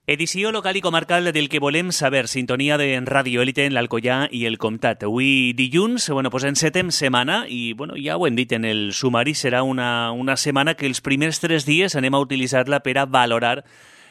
Edició local i comarcal del que volem saber, sintonia de Ràdio Élite en l'Alcoià i el Comtat. Avui dilluns, pues encetem setmana i ja ho hem dit en el sumari, serà una setmana que els primers 3 dies anem a utilitzar-la per a valorar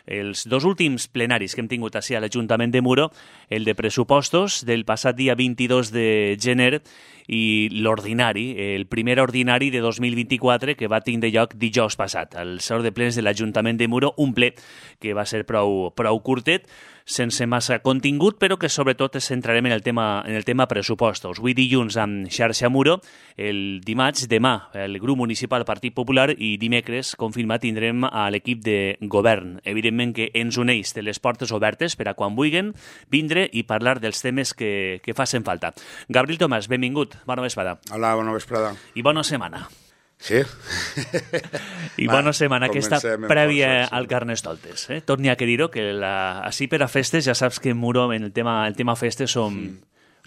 els 2 últims plenaris que hem tingut així a l'Ajuntament de Muro, el de pressupostos del passat dia 22 de gener i l'ordinari, el primer ordinari de 2024 que va tindre lloc dijous passat, al Saló de Plens de l'Ajuntament de Muro, un ple que va ser prou curtet, sense massa contingut, però que sobretot ens centrarem en el tema pressupostos. Avui dilluns amb Xarxa Muro, el dimarts, demà, el grup municipal Partit Popular i dimecres, confirmat, tindrem a l'equip de govern. Evidentment que ens uneix de les portes obertes per a quan vulguin vindre i parlar dels temes que facin falta. Gabriel Tomàs, benvingut. Bona vesprada. Hola, bona vesprada. I bona setmana. Sí. I bona setmana aquesta prèvia al Carnestoltes. Torni a que dir-ho, que així per a festes ja saps que en Muro, en el tema festes,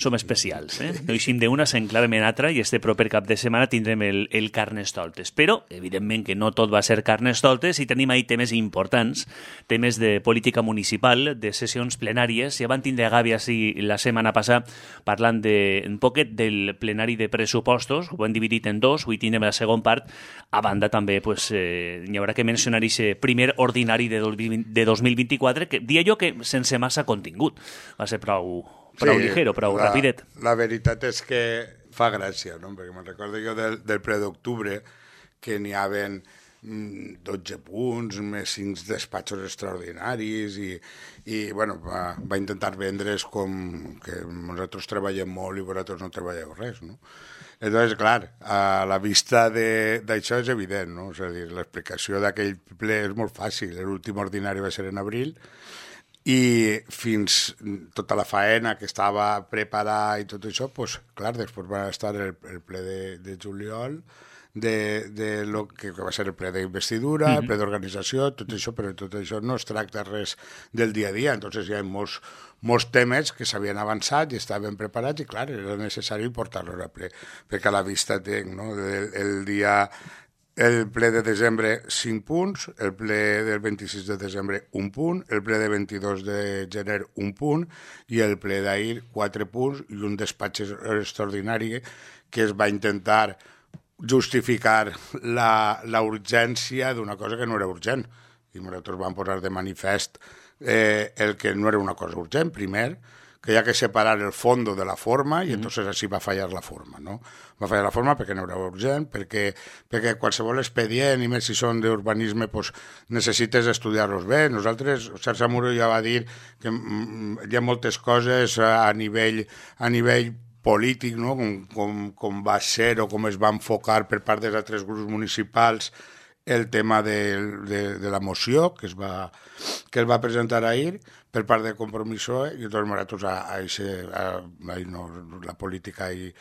som especials. No eixim d'una, s'enclavem en altra i este proper cap de setmana tindrem el Carnestoltes. Però, evidentment, que no tot va ser Carnestoltes i tenim ahí temes importants, temes de política municipal, de sessions plenàries. Ja van tindre a Gavi així la setmana passada parlant un poquet del plenari de pressupostos, ho hem dividit en 2, avui tindrem la segona part. A banda també hi haurà que mencionar aquest primer ordinari de 2024, que dia jo que sense massa contingut. Va ser prou ligero, prou rapidet. La veritat és que fa gràcia, no? Perquè me'n recordo jo del ple d'octubre que n'hi haven 12 punts, més 5 despatxos extraordinaris i va intentar vendre's com que nosaltres treballem molt i vosaltres no treballeu res, no? Llavors, clar, a la vista d'això és evident, no? És a dir, l'explicació d'aquell ple és molt fàcil. L'últim ordinari va ser en abril i fins tota la faena que estava preparada i tot això, doncs, clar, després va estar el ple de juliol, de lo que va ser el ple d'investidura, el ple d'organització, tot això, però tot això no es tracta res del dia a dia, entonces hi ha molts temes que s'havien avançat i estaven preparats i, clar, era necessari portar-los a ple, perquè a la vista tinc, no?, el ple de desembre 5 punts, el ple del 26 de desembre 1 punt, el ple de 22 de gener 1 punt i el ple d'ahir 4 punts i un despatx extraordinari que es va intentar justificar la urgència d'una cosa que no era urgent. I nosaltres vam posar de manifest el que no era una cosa urgent. Primer, que hi ha que separar el fondo de la forma i entonces així va fallar la forma, no? Va fallar la forma perquè no era urgent, perquè qualsevol expedient, i més si són d'urbanisme, pues, necessites estudiar-los bé. Nosaltres, Xarxa Muro ja va dir que hi ha moltes coses a nivell polític, no? Com va ser o com es va enfocar per part dels altres grups municipals el tema de la moció que es va presentar ahir per part de Compromiso i tots nosaltres la política i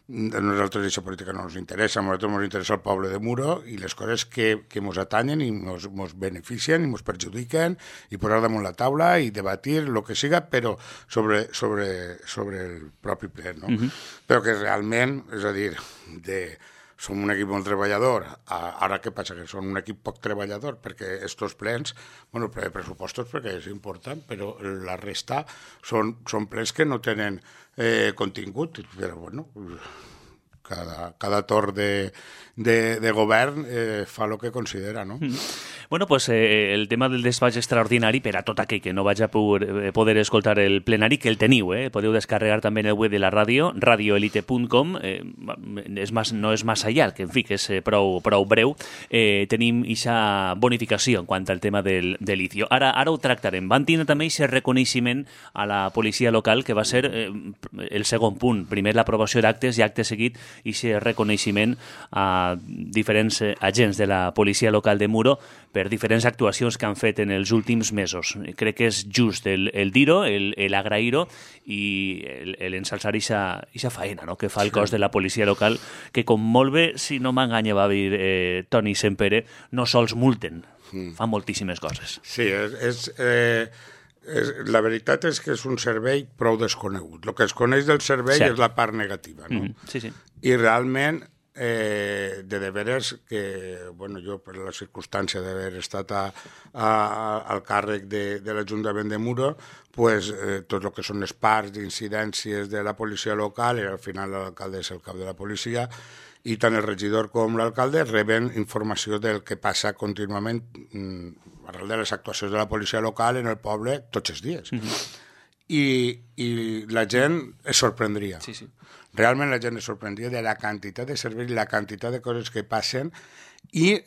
nosaltres aquesta política no ens interessa, a nosaltres ens interessa el poble de Muro i les coses que ens atanyen i ens beneficien i ens perjudiquen i posar damunt la taula i debatir el que siga, però sobre el propi ple, no? Però que realment, és a dir, som un equip molt treballador. Ara què passa? Que som un equip poc treballador perquè estos plens, ple de pressupostos perquè és important, però la resta són plens que no tenen contingut, però cada torn de govern fa el que considera, no? El tema del despatx extraordinari, per a tot aquell que no vaig a poder escoltar el plenari, que el teniu, podeu descarregar també en el web de la ràdio, radioelite.com, no és massa llarg, en fi, que és prou breu. Tenim aquesta bonificació en quant al tema del litio. Ara ho tractarem. Van tindre també aquest reconeixement a la policia local, que va ser el segon punt. Primer l'aprovació d'actes i acte seguit aquest reconeixement a diferents agents de la policia local de Muro per diferents actuacions que han fet en els últims mesos. Crec que és just el dir-ho, l'agrair-ho i l'ensalçar aquesta faena, no?, que fa el cos de la policia local, que com molt bé, si no m'enganya, va dir Toni Sempere, no sols multen, fan moltíssimes coses. Sí, la veritat és que és un servei prou desconegut. El que es coneix del servei és la part negativa, no? Sí. I realment de deberes que, bueno, jo per la circumstància d'haver estat al càrrec de l'Ajuntament de Muro, pues, tot el que són les parts d'incidències de la policia local, i al final l'alcalde és el cap de la policia, i tant el regidor com l'alcalde reben informació del que passa contínuament arrel de les actuacions de la policia local en el poble tots els dies. I la gent es sorprendria. Sí, sí. Realment la gent es sorprendria de la quantitat de serveis, la quantitat de coses que passen, i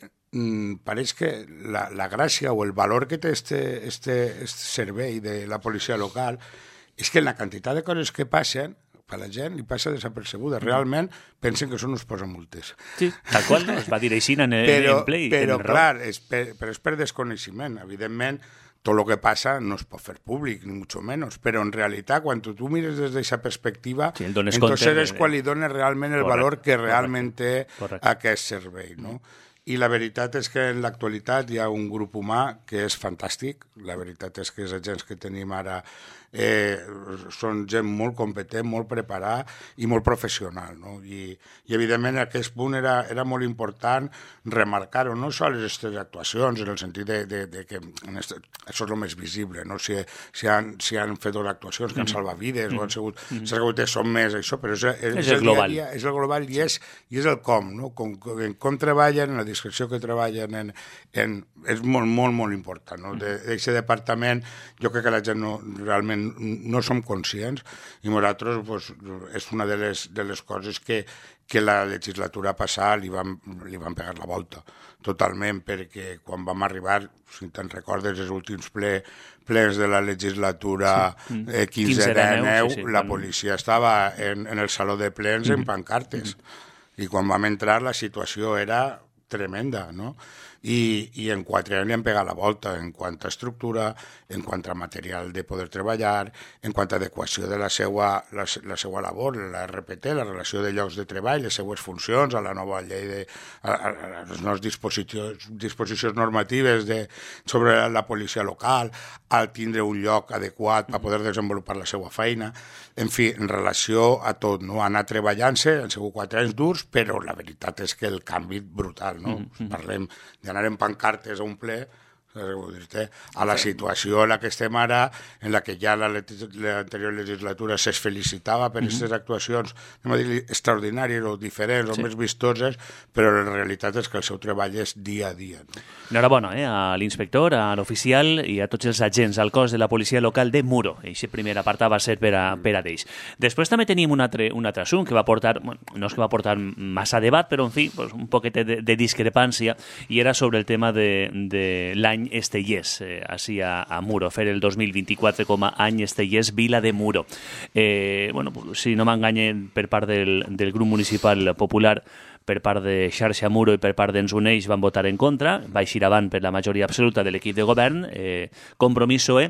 pareix que la gràcia o el valor que té este servei de la policia local és que la quantitat de coses que passen per la gent li passa desapercebuda. Realment pensen que són uns posamultes. Sí, tal qual, no? Es va dir així en Play. Però clar, és per desconeixement. Evidentment, tot el que passa no es pot fer públic, ni mucho menos, però en realitat, quan tu mires des d'aquesta perspectiva, sí, entonces és quan li dones realment el valor que realment té aquest servei, no? I la veritat és que en l'actualitat hi ha un grup humà que és fantàstic. La veritat és que els agents que tenim ara són gent molt competent, molt preparada i molt professional, no? I evidentment aquest punt era molt important remarcar-ho, no sols les actuacions, en el sentit de que això és el més visible, no? Si han fet dues actuacions que han salvat vides o han sigut, són més això, però és el global. És el global i és el com, no? Com treballen, en la discreció que treballen, és molt, molt, molt important, no? D'aquest departament jo crec que la gent realment no som conscients, i nosaltres pues, és una de les coses que la legislatura passada li van pegar la volta totalment, perquè quan vam arribar, si te'n recordes, els últims plens de la legislatura 15-19, la policia estava en el saló de plens en pancartes, i quan vam entrar la situació era tremenda, no? I en 4 anys li han pegat la volta en quant a estructura, en quant a material de poder treballar, en quant a adequació de la seva labor, la RPT, la relació de llocs de treball, les seues funcions, a la nova llei, a les noves disposicions normatives sobre la policia local, al tindre un lloc adequat per poder desenvolupar la seva feina. En fi, en relació a tot, no? Anar treballant-se, han sigut 4 anys durs, però la veritat és que el canvi brutal, no? Parlem d'anar en pancartes a un ple, a la situació en la que estem ara, en la que ja l'anterior legislatura es felicitava per aquestes actuacions, anem a dir, extraordinàries o diferents o més vistoses, però la realitat és que el seu treball és dia a dia. Enhorabona a l'inspector, a l'oficial i a tots els agents al cos de la policia local de Muro. Aquest primer apartat va ser per a d'ells. Després també tenim un altre assumpte que va portar, no és que va portar massa debat, però en fi, un poquet de discrepància, i era sobre el tema de l'any Estellés, així a Muro, fer el 2024 com a any Estellés Vila de Muro. Si no m'enganye, per part del grup municipal popular, per part de Xarxa Muro i per part d'Ens Uneix van votar en contra, va eixir avant per la majoria absoluta de l'equip de govern, Compromís PSOE,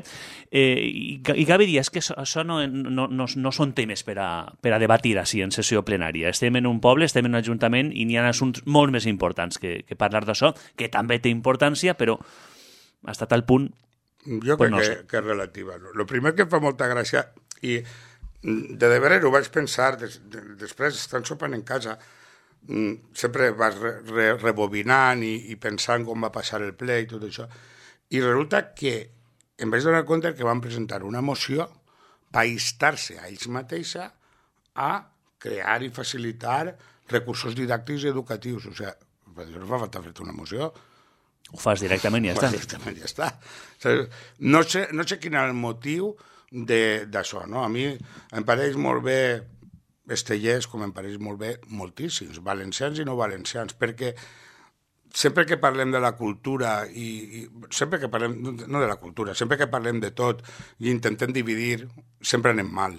i cabe dir que això no són temes per a debatir així en sessió plenària. Estem en un poble, estem en un ajuntament i n'hi ha assumptes molt més importants que parlar d'això, que també té importància, però fins a tal punt... Jo crec que és relativa. El primer que em fa molta gràcia, i de veres ho vaig pensar, després estant sopant en casa, sempre vas rebobinant i pensant com va passar el ple i tot això, i resulta que em vaig donar compte que van presentar una moció per instar-se a ells mateixa a crear i facilitar recursos didàctics i educatius. O sigui, no fa falta fer-te una moció. Ho fas directament i ja està. Directament ja està. No sé quin és el motiu d'això, no? A mi em pareix molt bé Estellés, com em pareix molt bé moltíssims, valencians i no valencians, perquè sempre que parlem de la cultura i sempre que parlem, no de la cultura, sempre que parlem de tot i intentem dividir, sempre anem mal.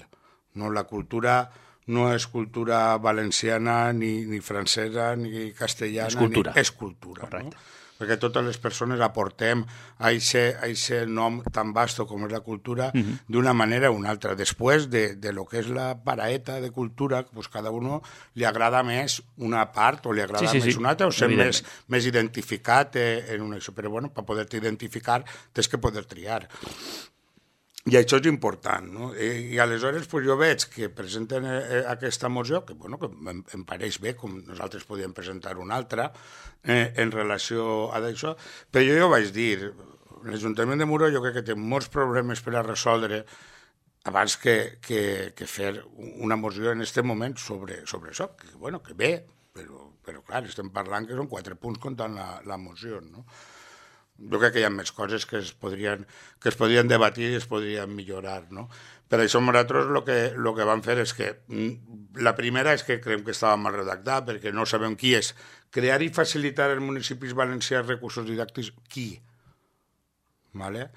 No? La cultura no és cultura valenciana, ni francesa, ni castellana, és cultura. Correcte. No? Perquè totes les persones aportem a aquest nom tan vasto com és la cultura d'una manera o una altra. Després de lo que és la paraeta de cultura, pues cada uno li agrada més una part o li agrada més una altra, o ser més identificat en una... Però bueno, per poder-te identificar tens que poder triar. I això és important, no? I aleshores pues, jo veig que presenten aquesta moció, que, bueno, que em pareix bé, com nosaltres podíem presentar una altra, en relació a això, però jo ja ho vaig dir, l'Ajuntament de Muro jo crec que té molts problemes per a resoldre abans que fer una moció en aquest moment sobre això, que, bueno, que bé, però clar, estem parlant que són 4 punts comptant la moció, no? Jo crec que hi ha més coses que es podrien debatir i es podrien millorar, no? Per això nosaltres el que vam fer és que la primera és que creiem que estava mal redactat perquè no sabem qui és. Crear i facilitar als municipis valencians recursos didàctics, qui? ¿Vale?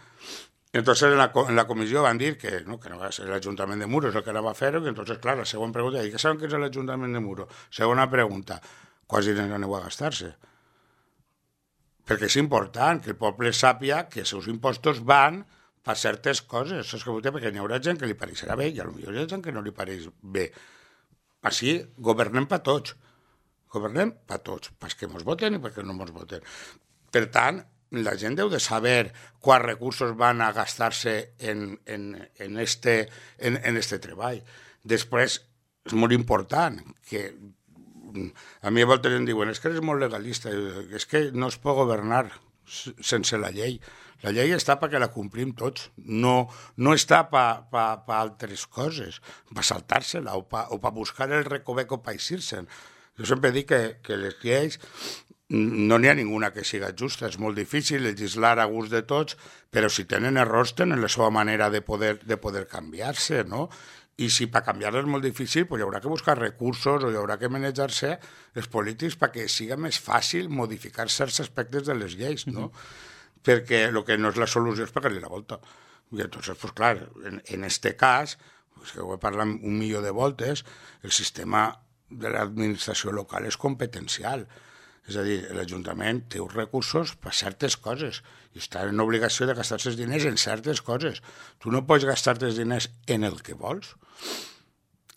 Entonces en la comissió van dir que no va ser l'Ajuntament de Muro és el que anava a fer-ho, i entonces, clar, la següent pregunta, què saben que és l'Ajuntament de Muro? Segona pregunta, quants diners aneu a gastar-se? Perquè és important que el poble sàpia que els seus impostos van per certes coses, perquè hi haurà gent que li pareixerà bé i potser hi ha gent que no li pareix bé. Així governem per tots, perquè ens voten i perquè no ens voten. Per tant, la gent deu de saber quants recursos van a gastar-se en este treball. Després, és molt important que a mi a voltes em diuen, és que eres molt legalista, és que no es pot governar sense la llei. La llei està perquè la complim tots, no està per altres coses, per saltar-se-la o per buscar el recoveco per eixir-se'n. Jo sempre dic que les lleis no n'hi ha ninguna que siga justa, és molt difícil legislar a gust de tots, però si tenen errors tenen la seva manera de poder canviar-se, no? I si per canviar-la és molt difícil, pues hi haurà que buscar recursos o hi haurà que manejar-se els polítics perquè siga més fàcil modificar certs aspectes de les lleis, no? Perquè el que no és la solució és pegar-li la volta. I entonces, pues clar, en este cas, pues que ho he parlat 1.000.000 de voltes, el sistema de l'administració local és competencial. És a dir, l'Ajuntament té uns recursos per certes coses i està en obligació de gastar-se els diners en certes coses. Tu no pots gastar-te els diners en el que vols,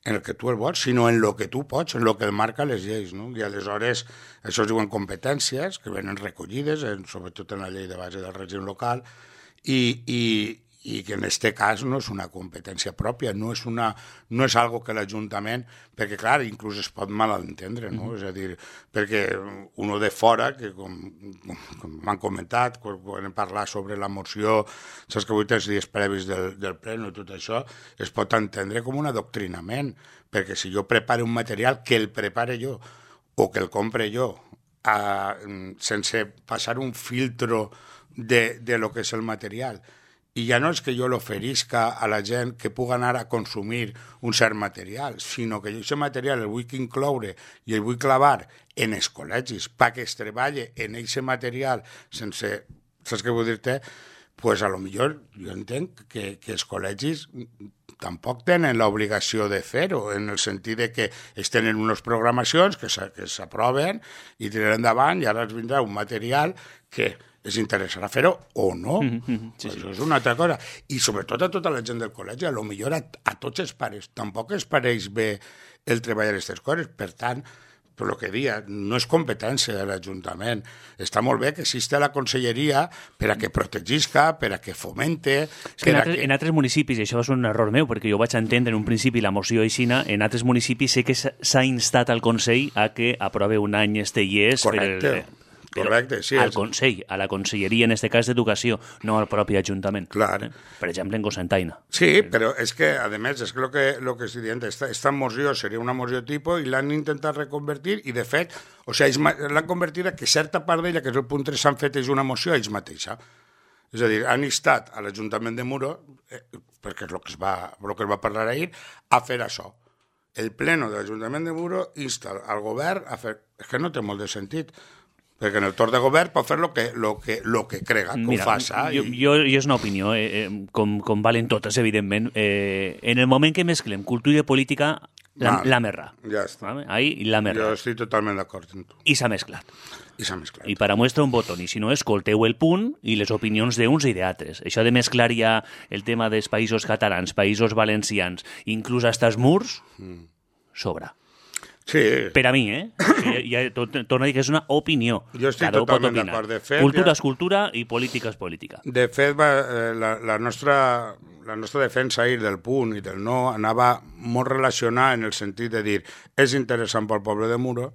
en el que tu el vols, sinó en el que tu pots, en el que marca les lleis, no? I aleshores això es diuen competències que venen recollides, sobretot en la llei de base del règim local, i que en aquest cas no és una competència pròpia, no és algo que l'Ajuntament, perquè clar, inclús es pot malentendre, no? És a dir, perquè uno de fora, que com m'han comentat, quan hem parlat sobre la moció, saps que avui tens dies previs del pleno i tot això, es pot entendre com un adoctrinament, perquè si jo preparo un material, que el prepare jo, o que el compre jo, sense passar un filtro de lo que és el material, i ja no és que jo l'oferisca a la gent que pugui anar a consumir un cert material, sinó que jo aquest material el vull incloure i el vull clavar en els col·legis perquè es treballi en aquest material sense, saps què vull dir-te? Pues a lo millor jo entenc que els col·legis tampoc tenen l'obligació de fer-ho, en el sentit de que es tenen unes programacions que s'aproven i tiraran endavant i ara els vindrà un material que els interessarà fer-ho o no. Sí. Això és una altra cosa. I sobretot a tota la gent del col·legi, a lo millor a tots els pares. Tampoc els pareix bé el treballar aquestes coses. Per tant, per el que dia, no és competència de l'Ajuntament. Està molt bé que existe la conselleria per a que protegisca, per a que fomente... En altres municipis, i això és un error meu, perquè jo vaig entendre en un principi la moció aixina, en altres municipis sé que s'ha instat al Consell a que aprove un any este IES. Correcte. Correcte, sí. Al Consell, a la Conselleria, en aquest cas d'Educació, no al propi Ajuntament. Clar. Per exemple, en Cocentaina. Sí, però és que, a més, és que el que estic dient, esta moció seria una moció tipus i l'han intentat reconvertir i, de fet, l'han convertit a que certa part d'ella, que és el punt 3, s'han fet és una moció a ells mateixa. És a dir, han instat a l'Ajuntament de Muro, perquè és el que es va parlar ahir, a fer això. El pleno de l'Ajuntament de Muro insta al govern a fer... És que no té molt de sentit, perquè en el torn de govern pot fer lo que crega, que ho faça. Jo és una opinió, com valen totes, evidentment. En el moment que mesclem cultura i política, la merra. Ja està. Ahí la merra. Jo estic totalment d'acord amb tu. I s'ha mesclat. I per a muestra un botó, i si no, escolteu el punt i les opinions d'uns i d'altres. Això de mesclar ja el tema dels països catalans, països valencians, inclús hasta els murs, sobra. Sí. Per a mi, torno a dir que és una opinió. Jo estic totalment d'acord. Cultura és cultura i política és política. De fet, la la nostra defensa ahir del punt i del no anava molt relacionada en el sentit de dir és interessant pel poble de Muro,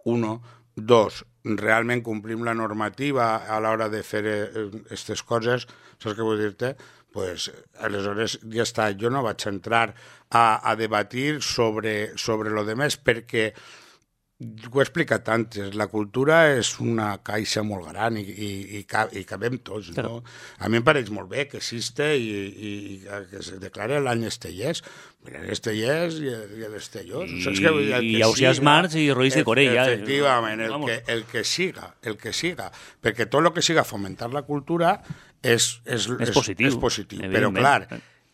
1, 2, realment complim la normativa a l'hora de fer aquestes coses, saps què vull dir-te? Pues, aleshores ja està, jo no vaig entrar a debatir sobre lo demés perquè ho he explicat antes, la cultura és una caixa molt gran i cabem tots, no? A mi em pareix molt bé que existe i que se declare l'any Estellers. Mira, l'Estellers i l'Estellós. I Ausiàs March i Roís de Corella. Efectivament, el que siga, perquè tot el que siga fomentar la cultura és positiu. Però, clar,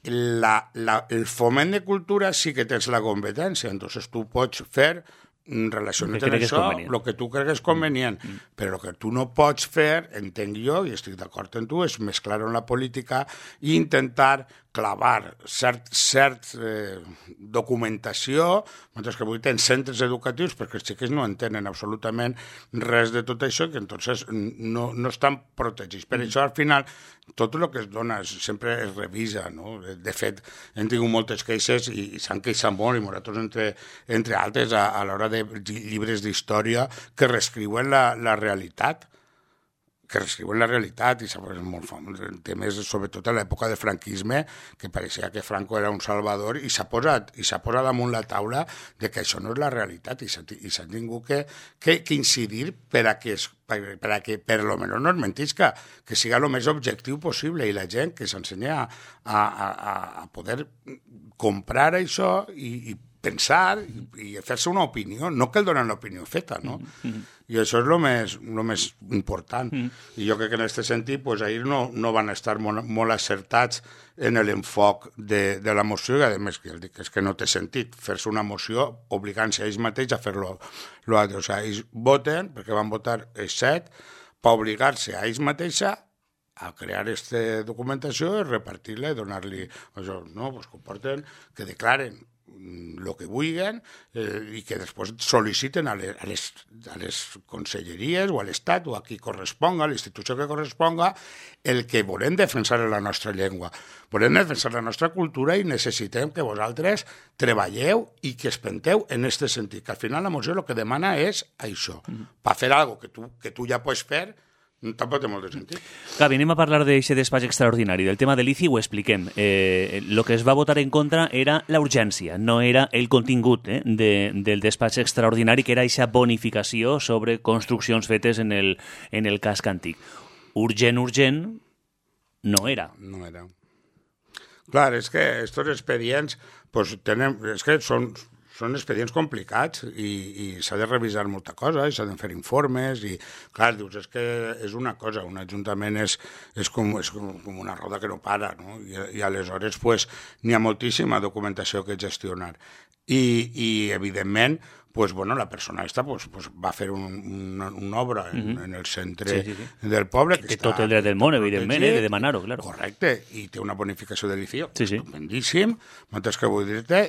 el foment de cultura sí que tens la competència, entonces tu pots fer relacionat amb això, el que tu cregues convenient, però el que tu no pots fer, entenc jo, i estic d'acord amb tu, és mesclar-ho en la política i intentar clavar cert documentació, mentre que avui tenen centres educatius, perquè els xiquets no entenen absolutament res de tot això, que entonces no estan protegits. Per això, al final, tot el que es dona sempre es revisa, no? De fet, hem tingut moltes queixes i s'han queixat molt, i nosaltres, entre altres, a l'hora de llibres d'història que reescriuen la realitat, i és molt famós, temes sobretot a l'època de franquisme, que pareixia que Franco era un salvador, i s'ha posat damunt la taula de que això no és la realitat, i s'ha tingut que incidir per a que per lo menos no es mentisca, que siga el més objectiu possible, i la gent que s'ensenya a poder comprar això i pensar i fer-se una opinió, no que el donen l'opinió feta, no? I això és el més important. I jo crec que en aquest sentit, pues, ahir no van estar molt acertats en l'enfoc de la moció, i a més que dic és que no té sentit fer-se una moció obligant-se a ells mateix a fer-lo altre. O sigui, ells voten, perquè van votar els 7, per obligar-se a ells mateixa a crear aquesta documentació i repartir-la i donar-li això, no? Pues que porten, que declaren el que vulguin i que després sol·liciten a les conselleries o a l'Estat o a qui corresponga, a l'institució que corresponga, el que volem defensar la nostra llengua. Volem defensar la nostra cultura i necessitem que vosaltres treballeu i que es penteu en aquest sentit, que al final la moció el que demana és això, per fer alguna cosa que tu ja pots fer. Tampoc té molt de sentit. Gavi, anem a parlar d'aquest despatx extraordinari. Del tema de l'ICI ho expliquem. El que es va votar en contra era la urgència, no era el contingut del despatx extraordinari, que era aquesta bonificació sobre construccions fetes en el casc antic. Urgent, no era. No era. Clar, és que aquests expedients és que són expedients complicats i s'ha de revisar molta cosa, i s'ha de fer informes, i clar, dius, és que és una cosa, un ajuntament és com una roda que no para, no? I aleshores pues, n'hi ha moltíssima documentació que gestionar. I evidentment, pues, bueno, la persona esta pues, va fer una obra en el centre del poble. Que té tot el dret del món, evidentment, de demanar-ho, clar. Correcte, i té una bonificació de l'ICI estupendíssim, mentre que vull dir-te,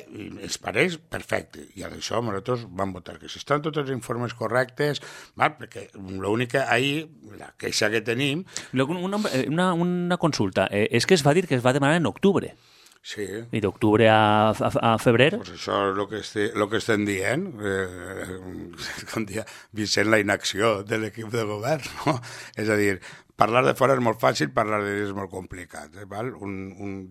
ens pareix perfecte. I a això nosaltres vam votar que si estan tots els informes correctes, perquè l'únic que ahir, la queixa que tenim... Una consulta, és que es va dir que es va demanar en octubre. Sí. I d'octubre a febrer? Pues això és el que estem dient. Com dia Vicent, la inacció de l'equip de govern, no? És a dir, parlar de fora és molt fàcil, parlar de dins és molt complicat. Val?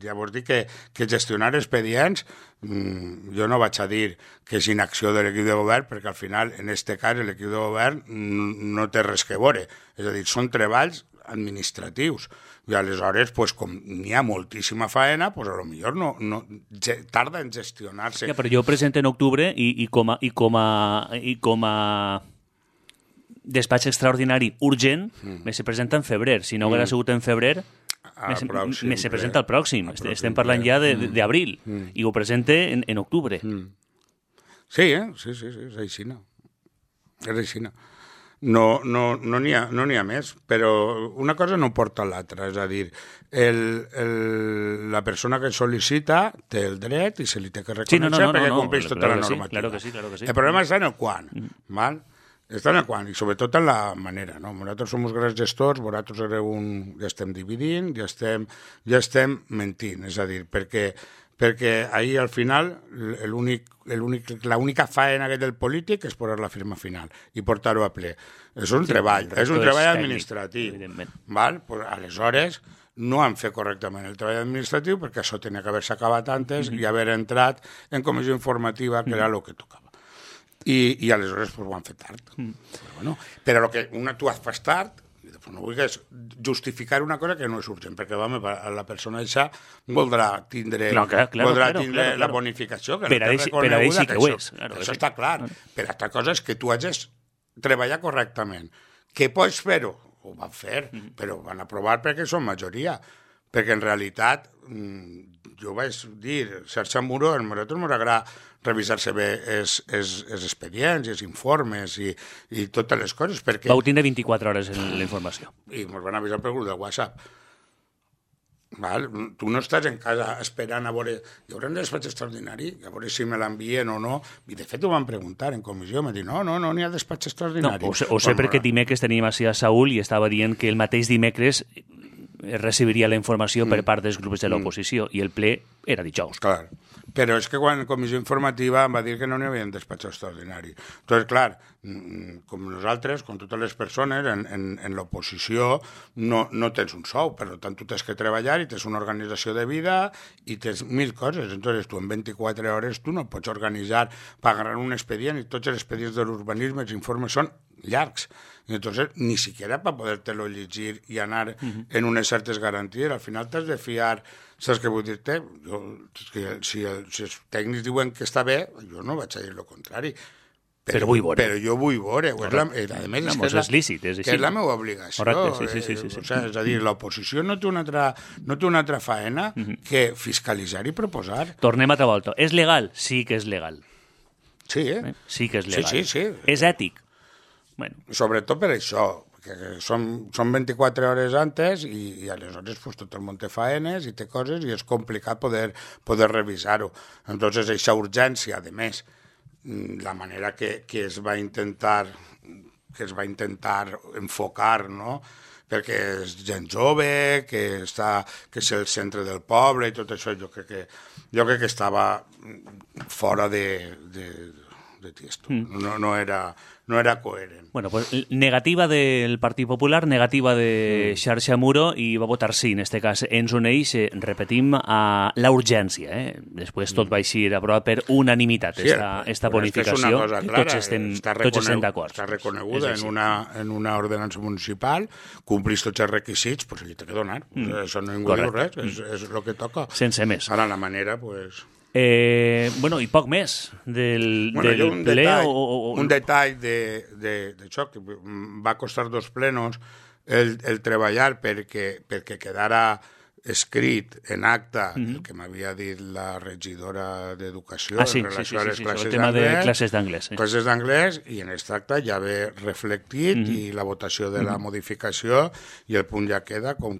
Llavors dic que gestionar expedients, jo no vaig a dir que és inacció de l'equip de govern, perquè al final, en aquest cas, l'equip de govern no té res que veure. És a dir, són treballs administratius. I aleshores, pues, com n'hi ha moltíssima faena, pues, a lo millor no tarda en gestionar-se. Ja, però jo presento en octubre i com a despatx extraordinari urgent, me se presenta en febrer. Si no haguera sigut en febrer, me se presenta al pròxim. Estem parlant ja d'abril i ho presente en octubre. Sí, és aixina. És aixina. No n'hi ha més, però una cosa no porta a l'altra, és a dir, la persona que sol·licita té el dret i se li té que reconèixer perquè compleix tota la normativa. Claro que sí. El problema és en el quan, val? Estan en quant, i sobretot en la manera, no? Nosaltres som uns grans gestors, vosaltres ja estem dividint, ja estem mentint, és a dir, perquè ahir al final l'única faena del polític és posar la firma final i portar-ho a ple. És un treball administratiu. Val? Pues, aleshores, no han fet correctament el treball administratiu perquè això tenia que haver-se acabat antes i haver entrat en comissió informativa, que era el que tocava. I aleshores pues, ho han fet tard. Però el que tu has fet tard, no vulguis justificar una cosa que no és urgent, perquè la persona això voldrà tindre la bonificació, que no té reconeguda, que això està clar. Però altra cosa és que tu hagis treballat correctament. Que pots fer-ho? Ho van fer, però ho van aprovar perquè són majoria. Perquè en realitat, jo vaig dir, Xarxa Muro, a nosaltres ens agrada revisar-se bé els expedients, els informes i totes les coses. Vau tindre 24 hores en la informació. I ens van avisar per grup de WhatsApp. Val? Tu no estàs en casa esperant a veure... Hi haurà un despatx extraordinari? A veure si me l'envien o no. I de fet ho van preguntar en comissió. Em van dir, no n'hi ha despatx extraordinari. No, ho sé perquè dimecres teníem així a Saúl i estava dient que el mateix dimecres recibiria la informació per part dels grups de l'oposició i el ple era dijous. Clar, però és que quan comissió informativa em va dir que no n'hi havia un despatx extraordinari. Entonces, clar, com nosaltres, com totes les persones, en l'oposició no tens un sou, per tant tu tens que treballar i tens una organització de vida i tens 1000 coses. Entonces tu en 24 hores tu no pots organitzar, pagar un expedient i tots els expedients de l'urbanisme, els informes són llargs. Entonces, ni siquiera para podértelo llegir i anar en unes certes garanties. Al final t'has de fiar, saps què vull dir-te? Si els tècnics diuen que està bé, jo no vaig a dir el contrari. Però vull veure. Però jo vull veure. A més, és lícit, és així. Que és la meva obligació. Correcte, sí. És a dir, l'oposició no té una altra faena que fiscalitzar i proposar. Tornem altra volta. És legal? Sí que és legal. Sí, Sí que és legal. Sí. És ètic? Bueno. Sobretot per això, perquè són 24 hores antes i aleshores pues, tot el món té faenes i té coses i és complicat poder revisar-ho. Entonces, aquesta urgència, a més, la manera que es va intentar enfocar, no?, perquè és gent jove, que és el centre del poble i tot això, jo crec que estava fora de tiesto. No era coherent. Bueno, pues negativa del Partit Popular, negativa de Xarxa Muro i va votar sí, en este cas. Ens uneix, repetim, a la urgència. Després tot va eixir aprovat per unanimitat, esta bonificació. Tots estem d'acord. Està reconeguda en una ordenança municipal, complís tots els requisits, doncs li té que donar. Això no ningú diu res, és el que toca. Sense més. Ara la manera, doncs... Bueno, i poc més del ple un detall d'això que va costar 2 plenos el treballar perquè quedara escrit en acta el que m'havia dit la regidora d'Educació en relació a les classes d'anglès. Classes d'anglès, i en aquest acte ja ve reflectit i la votació de la modificació i el punt ja queda com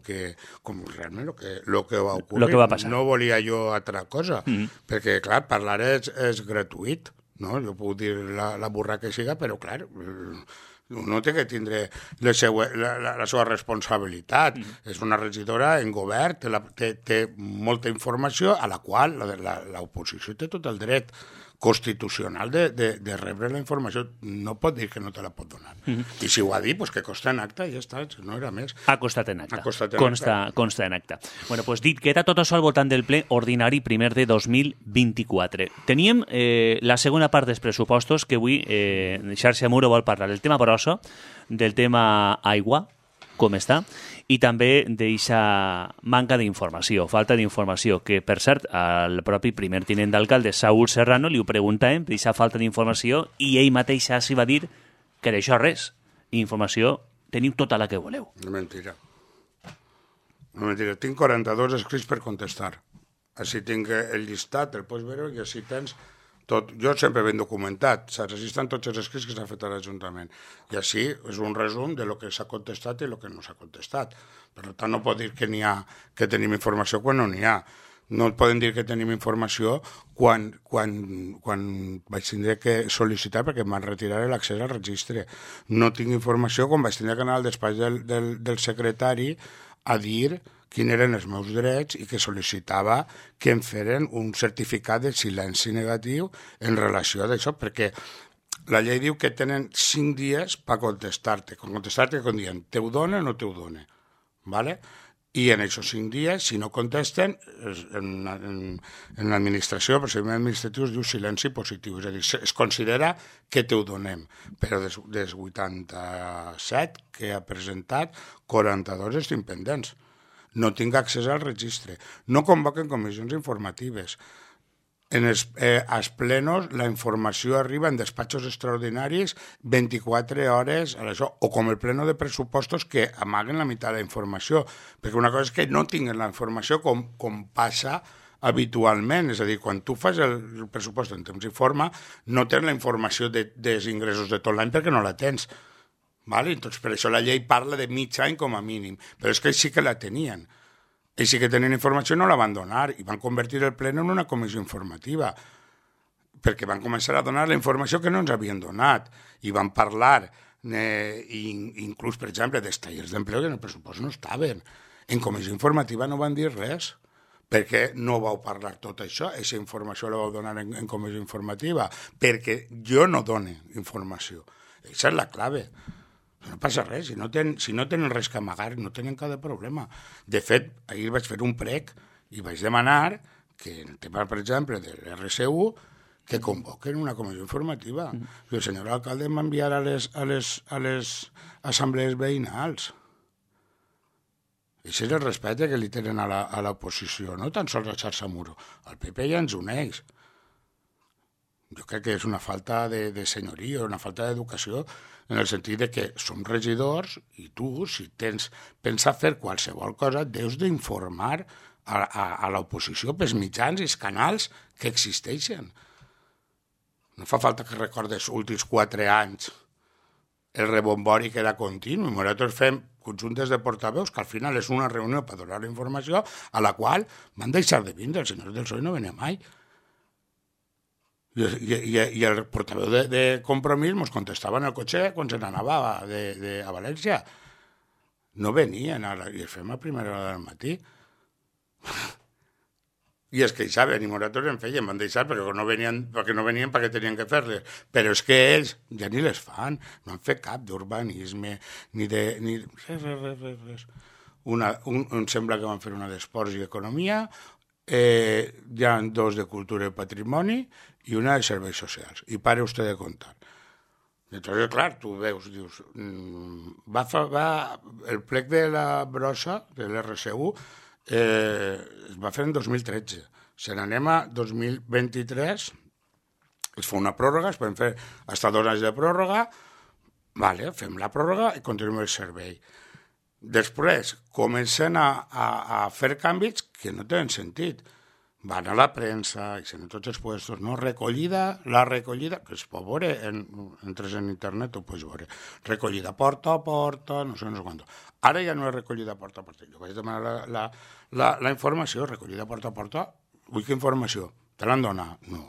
realment el que va ocorrir. Lo que va passar. No volia jo altra cosa, perquè, clar, parlar és gratuït, no? Jo puc dir la burra que siga, però, clar... no té que tindre la seva responsabilitat. És una regidora en govern, té molta informació a la qual l'oposició té tot el dret constitucional de rebre la informació. No pot dir que no te la pot donar. I si ho ha dit, pues que consta en acta i ja està, no era més. Ha costat en acta. Consta en acta. Bueno, pues dit que era tot això al voltant del ple ordinari primer de 2024. Teníem la segona part dels pressupostos que avui Xarxa Muro vol parlar del tema brossa, del tema aigua, com està, i també d'eixa manca d'informació, falta d'informació, que, per cert, al propi primer tinent d'alcalde, Saúl Serrano, li ho preguntàvem, d'eixa falta d'informació, i ell mateix s'hi va dir que d'això res. Informació teniu tota la que voleu. No mentira. Tinc 42 escrits per contestar. Així tinc el llistat, el pots veure, i així tens... tot. Jo sempre ben documentat, saps? Així estan tots els escrits que s'han fet a l'Ajuntament. I així és un resum de lo que s'ha contestat i el que no s'ha contestat. Per tant, no pot dir que n'hi ha, que tenim informació quan no n'hi ha. No et poden dir que tenim informació quan vaig tindre que sol·licitar perquè em van retirar l'accés al registre. No tinc informació quan vaig tindre que anar al despatx del secretari a dir quins eren els meus drets i que sol·licitava que em feren un certificat de silenci negatiu en relació a això, perquè la llei diu que tenen 5 dies per contestar-te. Contestar-te com dient, te ho dona o no te ho dona, ¿vale? I en aquests 5 dies, si no contesten, en l'administració, el procediment administratiu es diu silenci positiu, és a dir, es considera que te ho donem, però dels 87 que ha presentat, 42 estic pendents. No tinc accés al registre. No convoquen comissions informatives. Als plenos la informació arriba en despatxos extraordinaris 24 hores a això, o com el pleno de pressupostos que amaguen la meitat de la informació, perquè una cosa és que no tinguin la informació com passa habitualment, és a dir, quan tu fas el pressupost en temps i forma no tens la informació dels ingressos de tot l'any perquè no la tens, ¿vale? Entonces, per això la llei parla de mig any com a mínim, però és que ells sí que la tenien. Ells sí que tenien informació i no la van donar, i van convertir el ple en una comissió informativa, perquè van començar a donar la informació que no ens havien donat, i van parlar, inclús, per exemple, dels tallers d'empleo que en el pressupost no estaven. En comissió informativa no van dir res, perquè no vau parlar tot això, aquesta informació la vau donar en comissió informativa, perquè jo no dono informació. Aquesta és la clave. No passa res, si no tenen res que amagar, no tenen cap problema. De fet, ahir vaig fer un prec i vaig demanar que en el tema, per exemple, de l'RSU, que convoquen una comissió informativa. El senyor alcalde em va enviar a les assemblees veïnals. Això és el respecte que li tenen a l'oposició, no tan sols a xarxa Muro. El PP ja ens uneix. Jo crec que és una falta de senyoria, una falta d'educació, en el sentit de que som regidors i tu, si pensa fer qualsevol cosa, deus d'informar a l'oposició pels mitjans i els canals que existeixen. No fa falta que recordes els últims 4 anys el rebombori que era continu. Nosaltres fem conjuntes de portaveus que al final és una reunió per donar la informació a la qual van deixar de vindre. El senyor del PSOE no venia mai. I el portaveu de Compromís ens contestava en el cotxe quan se n'anava a València. No venien, i els fem a primera hora del matí. I es queixaven, i nosaltres en feien, van deixar perquè no venien perquè tenien que fer-les. Però és que ells ja ni les fan, no han fet cap d'urbanisme, ni res. Em sembla que van fer una d'esports i economia, hi ha 2 de cultura i patrimoni i una de serveis socials. I pare usted de contar. Entonces, clar, tu veus, dius, el plec de la brossa, de l'RSU, es va fer en 2013. Si n'anem a 2023, es fa una pròrroga, es poden fer fins a 2 anys de pròrroga, vale, fem la pròrroga i continuem el servei. Després comencen a fer canvis que no tenen sentit. Van a la premsa, i en tots els puestos, no? La recollida, que es pot veure, entres en internet, ho pots veure. Recollida porta a porta, no sé quant. Ara ja no és recollida porta a porta. Jo vaig demanar la informació, recollida porta a porta. Vull que informació? Te l'han donat? No.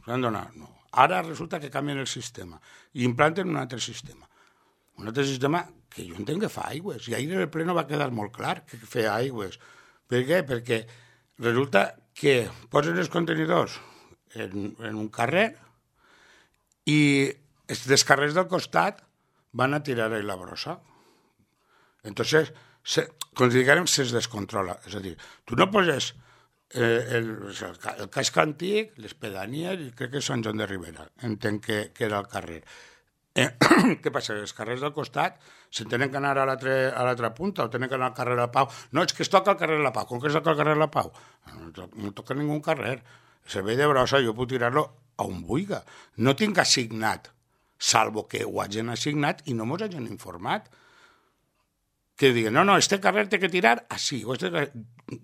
Te l'han donat? No. Ara resulta que canvien el sistema i implanten un altre sistema. Un altre sistema que jo entenc que fa aigües. I ahir en el pleno va quedar molt clar que feia aigües. Per què? Perquè resulta que posen els contenidors en un carrer i els carrers del costat van a tirar-hi la brossa. Entonces, considerem que se'ls descontrola. És a dir, tu no poses el casc antic, les pedanies, i crec que és Sant Joan de Ribera, entenc que era el carrer. Què passa? Els carrers del costat se'n tenen que anar a l'altra punta o tenen que anar al carrer de la Pau. No, és que es toca al carrer de la Pau. Com que es toca al carrer de la Pau? No toca ningú carrer. El servei de brossa jo puc tirar-lo a on vulgui. No tinc assignat, salvo que ho hagin assignat i no mos hagin informat. Que diguen, no, este carrer té que tirar així.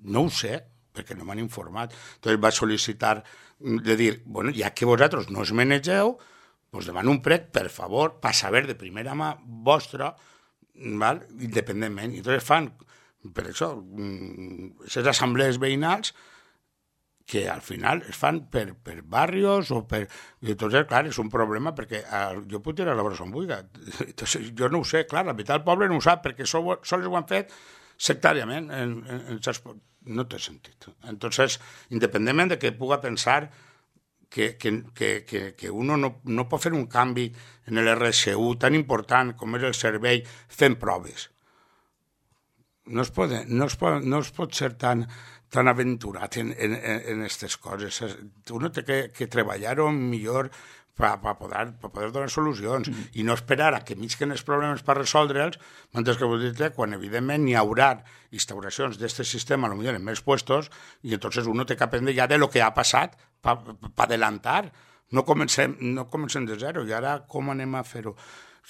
No ho sé, perquè no m'han informat. Entonces va sol·licitar de dir, bueno, ja que vosaltres no us manegeu, pues demano un prec, per favor, per saber de primera mà vostra, val? Independentment. I entonces fan Per això, aquestes assemblees veïnals que al final es fan per barrios o per... I entonces, clar, és un problema perquè jo puc tirar la brossa on vulgui. Entonces, jo no ho sé, clar, la meitat del poble no ho sap perquè sols ho han fet sectàriament. No té sentit. Entonces, independentment de que puga pensar que uno no pot fer un canvi en l'RSU tan important com és el servei fent proves. No es pot ser tan aventurat en aquestes coses. Uno té que treballar-ho millor per poder donar solucions i no esperar a que misquen els problemes per resoldre'ls, mentre que quan evidentment n'hi haurà instauracions d'aquest sistema, potser en més puestos, i entonces uno té que aprendre ja de lo que ha passat per adelantar. No comencem de zero. I ara com anem a fer-ho?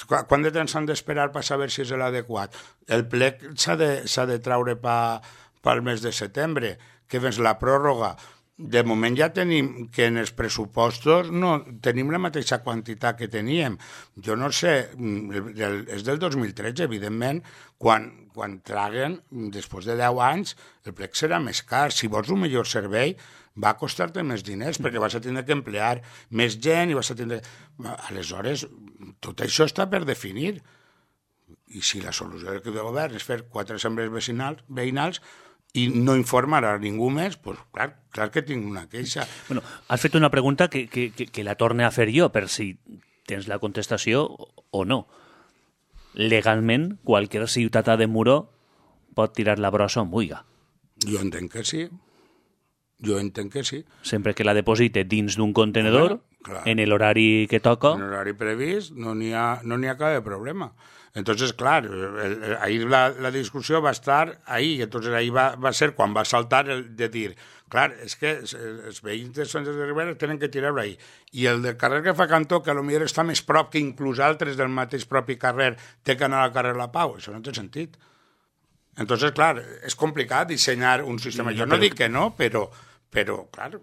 Quant de temps s'han d'esperar per saber si és l'adequat? El plec s'ha de traure pel mes de setembre, que és la pròrroga. De moment ja tenim que en els pressupostos no tenim la mateixa quantitat que teníem. Jo no sé, és del 2013, evidentment, quan traguen, després de 10 anys, el plec serà més car. Si vols un millor servei, va costar-te més diners, perquè vas a tindre que emplear més gent i vas a tindre... Aleshores, tot això està per definir. I si la solució del govern és fer 4 assemblees veïnals i no informar a ningú més, doncs clar que tinc una queixa. Bueno, has fet una pregunta que la torne a fer jo, per si tens la contestació o no. Legalment, qualsevol ciutadà de Muro pot tirar la brossa on vulgui. Jo entenc que sí. Sempre que la deposite dins d'un contenedor, en l'horari que toca... En l'horari previst no n'hi ha cap problema. Entonces, clar, ahir la discussió va estar ahí, entonces ahí va ser quan va saltar el de dir, clar, és que els veïns de Sánchez de Ribera tenen que tirar-ho ahí. I el del carrer que fa cantó, que potser està més prop que inclús altres del mateix propi carrer, té que anar al carrer La Pau, això no té sentit. Entonces, clar, és complicat dissenyar un sistema. Jo no dic que no, però clar,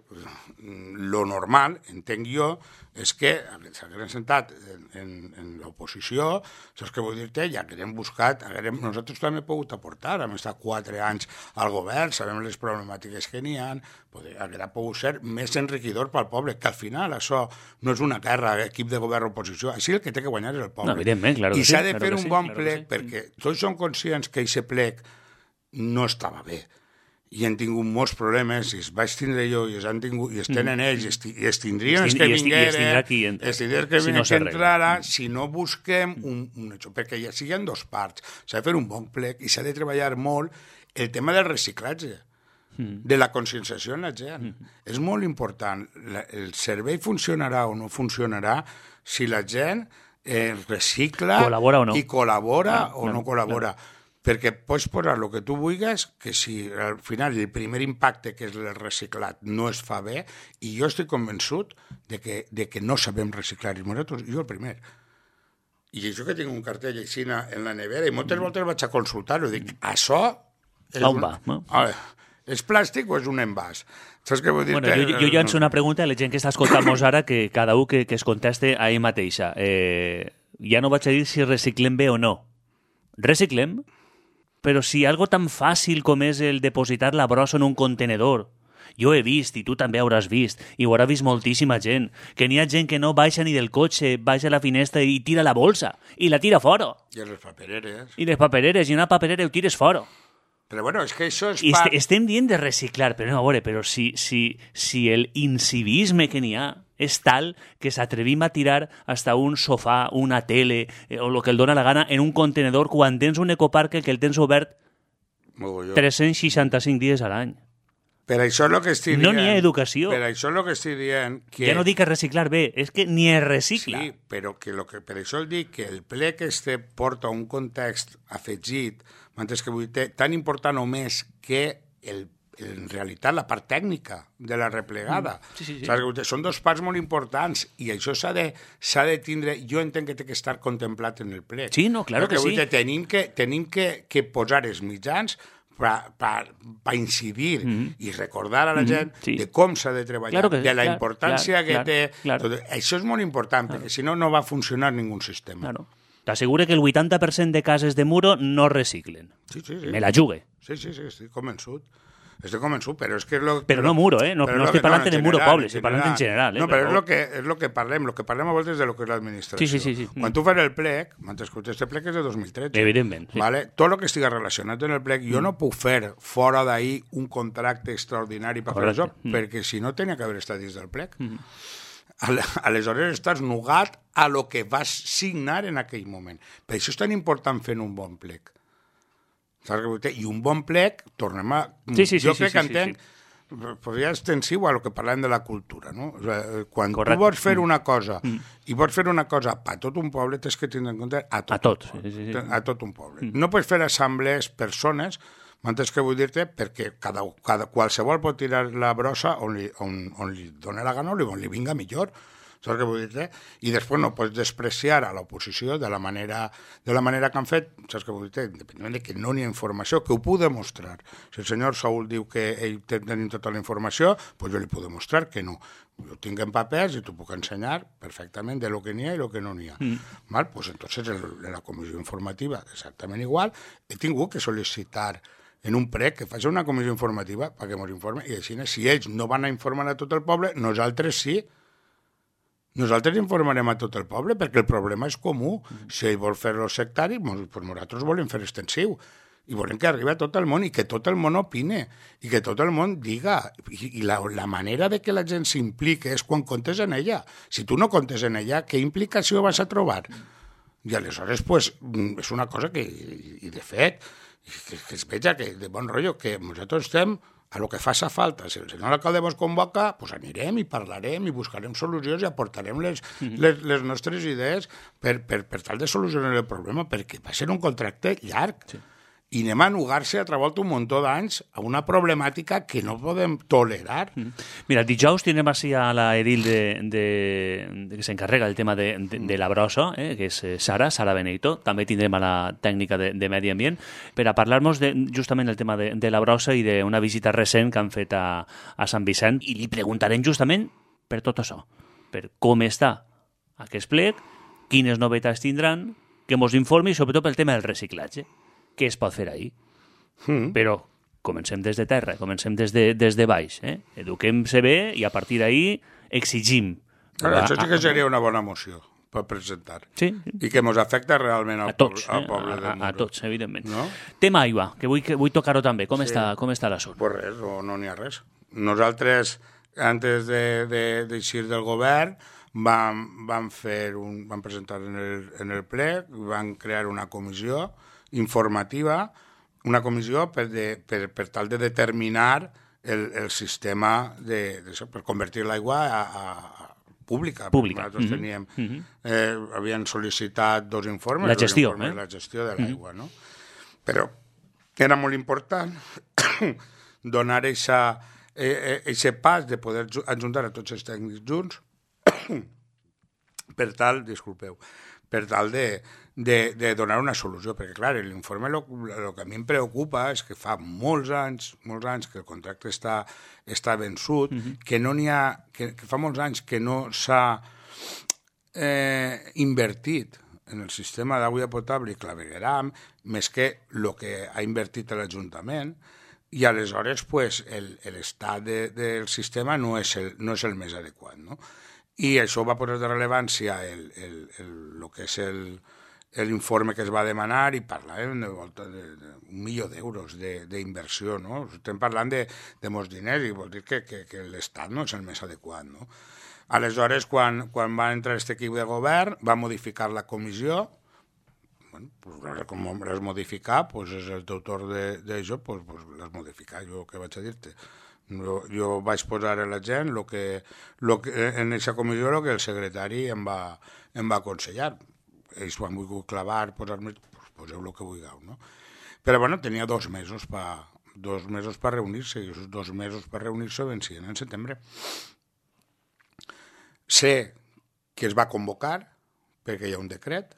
lo normal, entenc jo, és que s'hagueren sentat en l'oposició, saps què vull dir-te? Ja que hem buscat, nosaltres també hem pogut aportar, hem estat 4 anys al govern, sabem les problemàtiques que n'hi ha, hauria pogut ser més enriquidor pel poble, que al final això no és una guerra, equip de govern-oposició, així el que té que guanyar és el poble. No, evidentment, claro que sí. I s'ha de fer un bon plec, perquè tots som conscients que aquest plec no estava bé. I han tingut molts problemes, i es vaig tindre jo, i es tenen ells, i es tindrien els que vingueren, es tindrien que entrara, si no busquem perquè ja siguin 2 parts. S'ha de fer un bon plec i s'ha de treballar molt el tema del reciclatge, de la conscienciació en la gent. És molt important. El servei funcionarà o no funcionarà si la gent recicla i col·labora o no col·labora. Perquè pots posar el que tu vulguis, que si al final el primer impacte, que és el reciclat, no es fa bé, i jo estic convençut de que no sabem reciclar, i nosaltres, jo el primer. I això que tinc un cartell així en la nevera, i moltes voltes vaig a consultar-ho, dic, això... On va? No? És plàstic o és un envàs? Saps què vull dir? Bueno, jo llanço una pregunta a la gent que està escoltant-nos ara, que cada un que es conteste a ell mateixa. Ja no vaig a dir si reciclem bé o no. Reciclem? Però si algo tan fàcil com és el depositar la brossa en un contenedor, jo he vist, i tu també hauràs vist, i ho haurà vist moltíssima gent, que n'hi ha gent que no baixa ni del cotxe, baixa a la finestra i tira la bolsa, i la tira fora. I les papereres. I les papereres, i una paperera ho tires fora. Però bueno, és que això és part... Estem dient de reciclar, però no, a veure, però si el incivisme que n'hi ha és tal que s'atrevim a tirar hasta un sofà, una tele, o el que el dóna la gana, en un contenedor quan tens un ecoparc que el tens obert 365 dies a l'any. Per això és el que estic dient. No n'hi ha educació. Per això és el que estic dient. Que... Ja no dic que reciclar bé, és que ni es recicla. Sí, però per això el dic que el plec porta un context afegit, mentre que vull dir, tan important o més que en realitat la part tècnica de la replegada. Sí. Són 2 parts molt importants i això s'ha de tindre, jo entenc que té que estar contemplat en el plec. Sí, no, claro que sí. Tenim que posar els mitjans per incidir i recordar a la gent de com s'ha de treballar, de la importància que té. Això és molt important, perquè si no, no va funcionar ningú sistema. Claro. T'assegure que el 80% de cases de muro no reciclen. Sí. Me la jugue. Sí, estic convençut. Estic convençut, però és que... Però no muro, No estic parlant de muro poble, estic parlant en general. No, però és el que parlem a voltes de lo que és l'administració. Sí. Quan tu fas el plec, m'has escoltat, este plec és de 2013. Evidentment, sí. Vale? Tot el que estigui relacionat amb el plec, jo no puc fer fora d'ahir un contracte extraordinari per fer això, perquè si no tenia que haver estat dins del plec. Aleshores estàs nugat a lo que vas signar en aquell moment. Per això és tan important fer un bon plec. I un bon plec, tornem a... Jo crec que entenc, podria extensiu a lo que parlem de la cultura, no? O sigui, quan tu vols fer una cosa i vols fer una cosa per tot un poble, tens que tindre en compte a tot un poble. No pots fer assemblees persones, m'entens què vull dir-te? Perquè qualsevol pot tirar la brossa on li doni la gana o on li vinga millor. Saps què vull dir-te? I després no pots despreciar a l'oposició de la manera que han fet, saps què vull dir-te? Independentment de que no n'hi ha informació, que ho puc demostrar. Si el senyor Saúl diu que ell tenim tota la informació, doncs jo li puc demostrar que no. Jo tinc en papers i t'ho puc ensenyar perfectament de lo que n'hi ha i lo que no n'hi ha. Val? Pues entonces en la comissió informativa exactament igual. He tingut que sol·licitar en un prec que faci una comissió informativa perquè ens informen, i així, si ells no van a informar a tot el poble, nosaltres sí. Nosaltres informarem a tot el poble perquè el problema és comú. Si ell vol fer-lo sectari, doncs nosaltres volem fer extensiu. I volem que arribi a tot el món i que tot el món opine i que tot el món diga. I la manera de que la gent s'implique és quan comptes en ella. Si tu no comptes en ella, què implicació vas a trobar? I aleshores, pues, és una cosa que, i de fet, que es veja que de bon rotllo, que nosaltres estem a lo que faça falta. Si el senyor alcalde vos convoca, pues anirem i parlarem i buscarem solucions i aportarem les nostres idees per tal de solucionar el problema, perquè va ser un contracte llarg. Sí. I anem a nugar-se a treballar un muntó d'anys a una problemàtica que no podem tolerar. Mira, dijous tindrem així a la edil que s'encarrega el tema de la brossa, que és Sara Benito. També tindrem a la tècnica de Medi Ambient per a parlar-nos justament del tema de la brossa i d'una visita recent que han fet a Sant Vicent. I li preguntarem justament per tot això, per com està aquest plec, quines novetats tindran, que ens informi, sobretot pel tema del reciclatge. Què es pot fer ahir? Però comencem des de terra, comencem des de baix. Eduquem-se bé i a partir d'ahir exigim. Això sí que seria una bona moció per presentar. Sí. I que ens afecta realment al poble del Muro. A tots, evidentment. No? Tema aigua, que vull tocar-ho també. Com està l'assumpte? Pues res, no n'hi ha res. Nosaltres, antes d'eixir del govern, vam presentar en el ple, vam crear una comissió informativa, una comissió per tal de determinar el sistema per convertir l'aigua a pública. Nosaltres teníem, havien sol·licitat 2 informes. La gestió, la gestió de l'aigua, no? Però era molt important donar aquest pas de poder ajuntar a tots els tècnics junts per tal de donar una solució, perquè clar, l'informe el que a mi em preocupa és que fa molts anys que el contracte està vençut, que no n'hi ha, que fa molts anys que no s'ha invertit en el sistema d'aigua potable i clavegueram, més que el que ha invertit l'Ajuntament, i aleshores pues, l'estat del sistema no és el més adequat, no? I això va posar de rellevància el que és l'informe que es va demanar i parlàvem d'1 milió d'euros d'inversió, no? Estem parlant de molts diners i vol dir que l'Estat no és el més adequat, no? Aleshores, quan va entrar aquest equip de govern, va modificar la comissió. Com l'has modificat, és el teu torn d'això, l'has modificat, jo què vaig a dir-te? Jo vaig posar a la gent en aquesta comissió el que el secretari em va aconsellar. Ells ho han volgut clavar, posar-me, poseu el que vulgueu, no? Però, bueno, tenia 2 mesos per reunir-se, i aquests 2 mesos per reunir-se vencien en setembre. Sé que es va convocar, perquè hi ha un decret,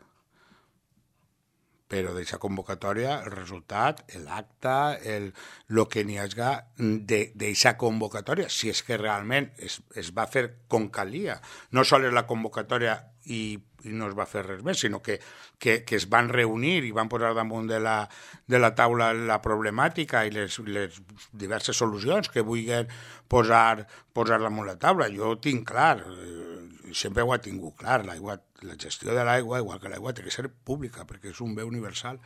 però d'aquesta convocatòria, el resultat, l'acte, el que n'hi hagi d'aquesta convocatòria, si és que realment es va fer com calia, no sols la convocatòria i no es va fer res més, sinó que es van reunir i van posar damunt de la taula la problemàtica i les diverses solucions que vulguin posar damunt la taula. Jo ho tinc clar, sempre ho he tingut clar, la gestió de l'aigua, igual que l'aigua, té que ser pública, perquè és un bé universal.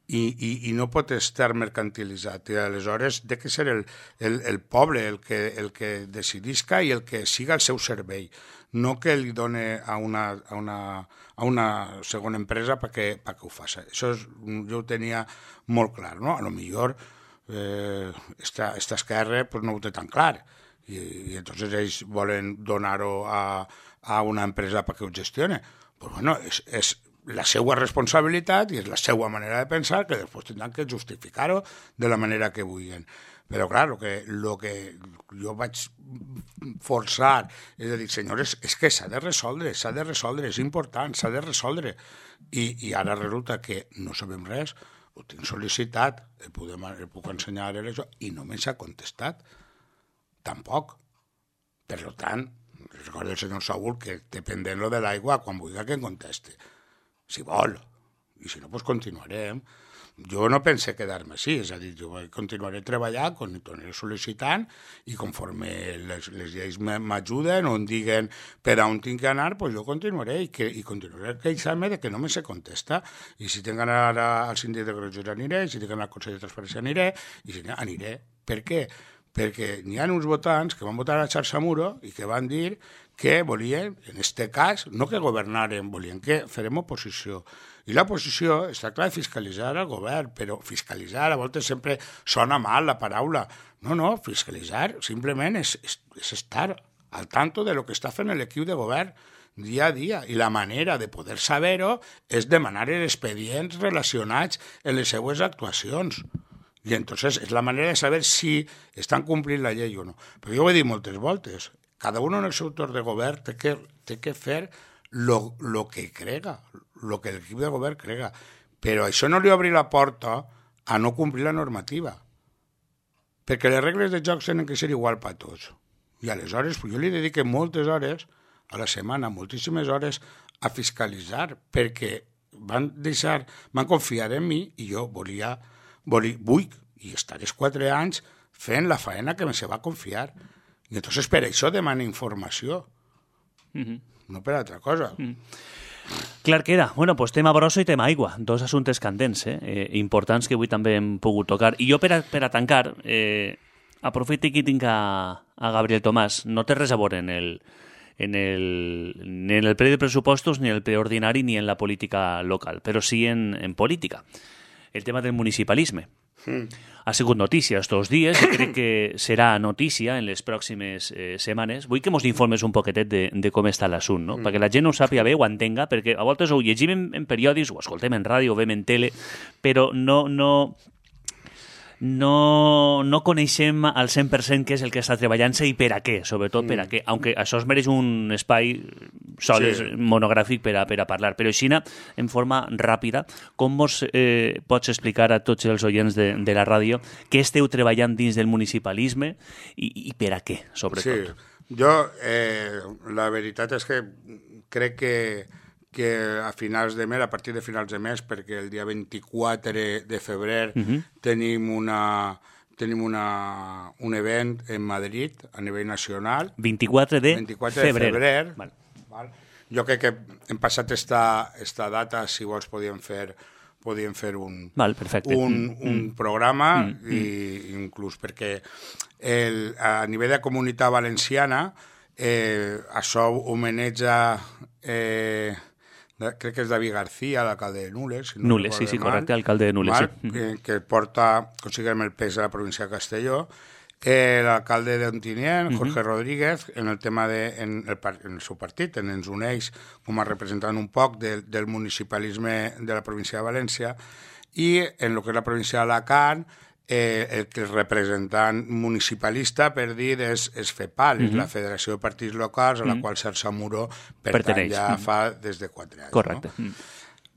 I no pot estar mercantilitzat. I aleshores té que ser el poble el que decidisca i el que siga al seu servei, no que li done a una segona empresa perquè ho faci. Això jo ho tenia molt clar, no? A lo millor esta esquerra pues, no ho té tan clar i entonces ells volen donar-ho a una empresa perquè ho gestione. Pues bueno, és la seva responsabilitat i és la seva manera de pensar que després tindran que justificar-ho de la manera que vulguin. Però, clar, el que jo vaig forçar és a dir, senyores, és que s'ha de resoldre, és important, s'ha de resoldre. I ara resulta que no sabem res, ho tinc sol·licitat, el puc ensenyar això, i no me s'ha contestat. Tampoc. Per tant, recorda el senyor Saúl que té pendent lo de l'aigua quan vulgui que em conteste. Si vol, i si no, doncs continuarem. Jo no pense quedar-me així, és a dir, jo continuaré treballant, continuaré sol·licitant, i conforme les lleis m'ajuden o em diguen per on tinc que anar, doncs jo continuaré, i continuaré queixant-me de que no me se contesta. I si tinc que anar al síndic de Greuges aniré, si tinc que anar al Consell de Transparència aniré, i si no, aniré. Per què? Perquè n'hi ha uns votants que van votar a Xarxamuro i que van dir que volien, en aquest cas, no que governaren, volien que farem oposició. I l'oposició està clar de fiscalitzar el govern, però fiscalitzar a voltes sempre sona mal la paraula. No, fiscalitzar simplement és estar al tanto de lo que està fent l'equip de govern dia a dia. I la manera de poder saber-ho és demanar els expedients relacionats amb les seues actuacions. I entonces és la manera de saber si estan complint la llei o no. Però jo ho he dit moltes voltes. Cada un en el seu torn de govern té que fer lo que crega, lo que l'equip de govern crega. Però això no li obri la porta a no complir la normativa. Perquè les regles de joc tenen que ser igual per a tots. I aleshores jo li dedico moltes hores a la setmana, moltíssimes hores, a fiscalitzar, perquè van confiar en mi i jo vull i estaré 4 anys fent la faena que se va confiar. I entonces per això demana informació, no per altra cosa. Clar queda. Bueno, pues tema brosso i tema aigua, dos assumptes candents, importants que avui també hem pogut tocar. I jo per a tancar, aprofito que tinc a Gabriel Tomàs. No té res a veure ni en el ple de pressupostos, ni en el ple ordinari, ni en la política local, però sí en política. El tema del municipalisme. Ha sigut notícia estos dies i crec que serà notícia en les pròximes setmanes. Vull que mos informes un poquetet de com està l'assunt, no? Perquè la gent ho sàpiga bé, ho entenga, perquè a voltes ho llegim en periòdics, ho escoltem en ràdio, ho veiem en tele, però no coneixem al 100% què és el que està treballant-se i per a què, sobretot per a què, aunque això es mereix un espai sols monogràfic per a parlar, però així en forma ràpida, com vos pots explicar a tots els oients de la ràdio què esteu treballant dins del municipalisme i per a què, sobretot? Sí, jo la veritat és que crec que a finals de mes, a partir de finals de mes, perquè el dia 24 de febrer tenim un event en Madrid a nivell nacional. 24 de febrer. Val. Jo crec que hem passat esta data, si vols podíem fer un programa i inclús perquè a nivell de Comunitat Valenciana això homenatja crec que és David García, l'alcalde de Nules. Si no Nules, sí, correcte, alcalde de Nules. Sí. Que porta, considerem el pes de la província de Castelló. L'alcalde d'Ontinyent, Jorge Rodríguez, en el tema en el seu partit, ens uneix com a representant un poc del municipalisme de la província de València, i en el que és la província d'Alacant, el que és representant municipalista, per dir, és FEPAL, és la Federació de Partits Locals, a la qual Xarxamuro pertany ja fa des de 4 anys. Correcte. No?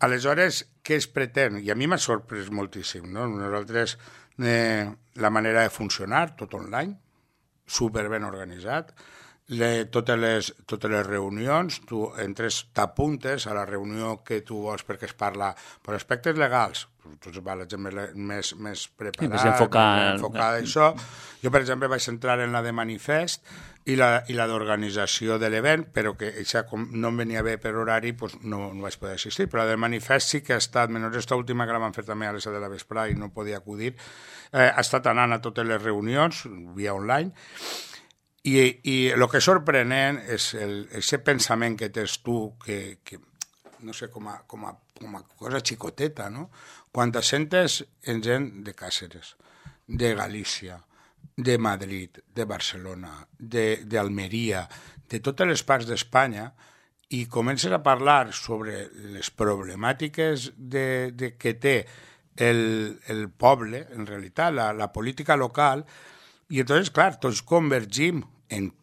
Aleshores, què es pretén? I a mi m'ha sorprès moltíssim. No? Nosaltres, la manera de funcionar, tot online, superben organitzat, totes les reunions, tu entres, t'apuntes a la reunió que tu vols perquè es parla per aspectes legals, tu va la gent més preparada, més enfocada a això. Jo, per exemple, vaig entrar en la de manifest i la d'organització de l'event, però que això, com no em venia bé per horari, doncs no vaig poder assistir, però la de manifest sí que ha estat, menys aquesta última que la van fer també a les 7 de la vesprada i no podia acudir, ha estat anant a totes les reunions via online. I el que és sorprenent és aquest pensament que tens tu, que no sé, com a cosa xicoteta, no? Quan te sentes en gent de Càceres, de Galícia, de Madrid, de Barcelona, d'Almeria, de totes les parts d'Espanya, i comences a parlar sobre les problemàtiques que té el poble, en realitat, la política local. I entonces, clar, tots convergim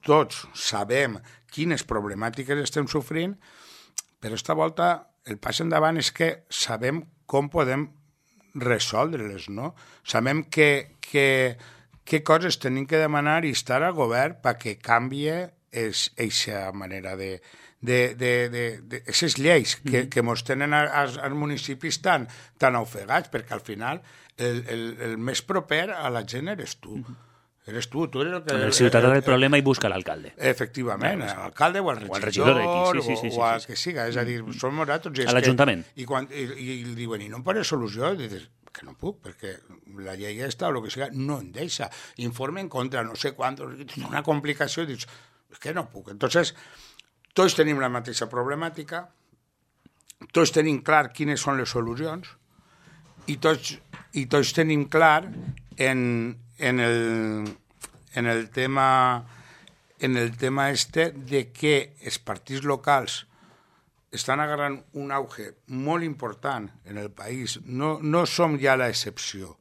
tots sabem quines problemàtiques estem sofrint, però esta volta el pas endavant és que sabem com podem resoldre-les, no? Sabem què coses tenim que demanar i estar al govern perquè canvie aquesta manera aquestes lleis que mos tenen als municipis tan ofegats, perquè al final el més proper a la gent eres tu. Eres tu eres el que... El ciutadà del problema i busca l'alcalde. Efectivament, l'alcalde o el regidor o el que siga. És a dir, som nosaltres... A l'Ajuntament. I diuen, i no em pones solució? I dius, que no puc, perquè la llei aquesta o el que siga no em deixa. Informe en contra, no sé quant, una complicació, i dius, és que no puc. Entonces, tots tenim la mateixa problemàtica, tots tenim clar quines són les solucions, i tots tenim clar en el tema este de que els partits locals estan agarrant un auge molt important en el país. No som ja l'excepció,